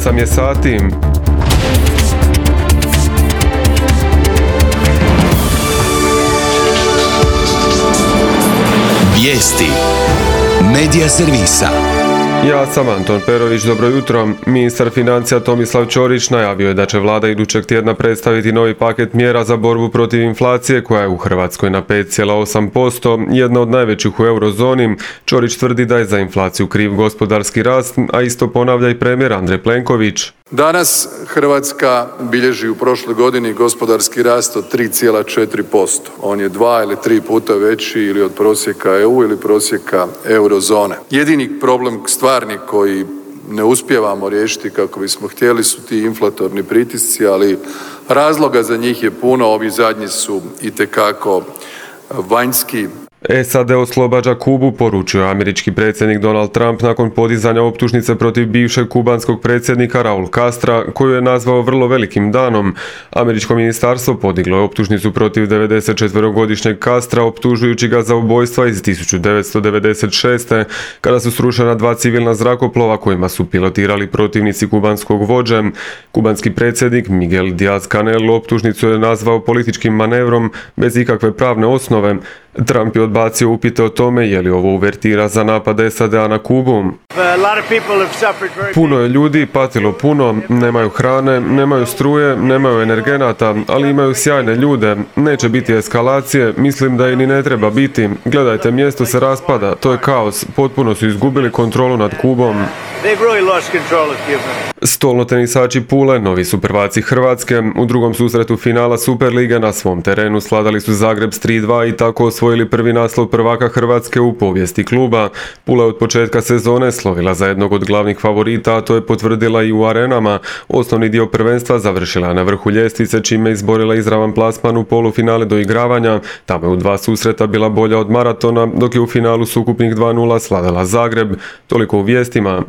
8 je sati. Vijesti Medija servisa. Ja sam Anton Perović, dobro jutro. Ministar financija Tomislav Ćorić najavio je da će vlada idućeg tjedna predstaviti novi paket mjera za borbu protiv inflacije koja je u Hrvatskoj na 5,8%, jedna od najvećih u eurozoni. Ćorić tvrdi da je za inflaciju kriv gospodarski rast, a isto ponavlja i premijer Andrej Plenković. Danas Hrvatska bilježi u prošloj godini gospodarski rast od 3,4%. On je 2 ili 3 puta veći ili od prosjeka EU ili prosjeka eurozone. Jedini problem stvarni koji ne uspijevamo riješiti kako bismo htjeli su ti inflatorni pritisci, ali razloga za njih je puno, ovi zadnji su itekako vanjski. SAD oslobađa Kubu, poručio je američki predsjednik Donald Trump nakon podizanja optužnice protiv bivšeg kubanskog predsjednika Raul Castra, koju je nazvao vrlo velikim danom. Američko ministarstvo podiglo je optužnicu protiv 94-godišnjeg Castra, optužujući ga za ubojstva iz 1996. kada su srušena 2 civilna zrakoplova kojima su pilotirali protivnici kubanskog vođe. Kubanski predsjednik Miguel Díaz-Canel optužnicu je nazvao političkim manevrom bez ikakve pravne osnove. Trump je odbacio upite o tome je li ovo uvertira za napad SAD-a na Kubu. Puno je ljudi patilo puno, nemaju hrane, nemaju struje, nemaju energenata, ali imaju sjajne ljude. Neće biti eskalacije, mislim da i ni ne treba biti. Gledajte, mjesto se raspada, to je kaos, potpuno su izgubili kontrolu nad Kubom. Stolnotenisači Pule novi su prvaci Hrvatske. U drugom susretu finala Superlige na svom terenu sladali su Zagreb s 3:2 i tako osvojili prvi naslov prvaka Hrvatske u povijesti kluba. Pula je od početka sezone slovila za jednog od glavnih favorita, a to je potvrdila i u arenama. Osnovni dio prvenstva završila na vrhu ljestvice, čime je izborila izravan plasman u polufinale do igravanja. Tamo je u 2 susreta bila bolja od maratona, dok je u finalu s ukupnih 2:0 sladala Zagreb. Toliko u vijestima.